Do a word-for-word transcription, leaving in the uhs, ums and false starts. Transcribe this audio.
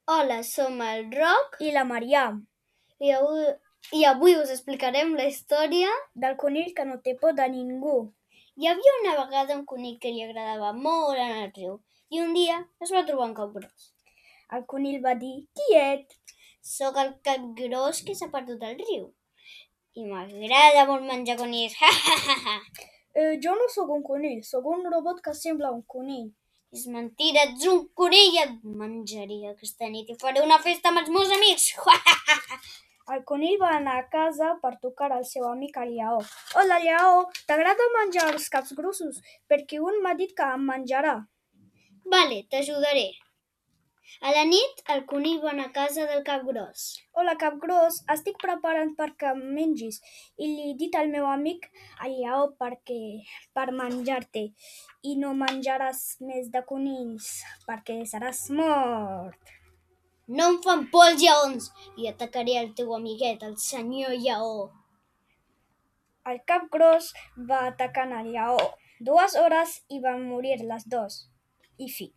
Hola, som el Roc i la Mariam, i avui, i avui us explicarem la història del conill que no té por de ningú. Hi havia una vegada un conill que li agradava molt anar al riu i un dia es va trobar un capgròs. El conill va dir: «Quiet, Soc el capgròs que s'ha perdut al riu i m'agrada molt menjar conills. Ha, ha, ha, ha. eh, jo no sóc un conill, sóc un robot que sembla un conill». És mentira, ets un conill, et menjaré aquesta nit i faré una festa amb els meus amics. Ha, ha, ha, ha. El conill va anar a casa per tocar al seu amic el lleó. «Hola, lleó, t'agrada menjar els caps grossos? Perquè un m'ha dit que em menjarà». Vale, t'ajudaré. A la nit, el conill va anar a casa del capgròs. «Hola, capgròs, estic preparant perquè em mengis i li he dit al meu amic el lleó perquè per menjar-te i no menjaràs més de conills perquè seràs mort». No em fan por els lleons i atacaré el teu amiguet, el senyor lleó. El capgròs va atacar el lleó dues hores i van morir les dos. I fi.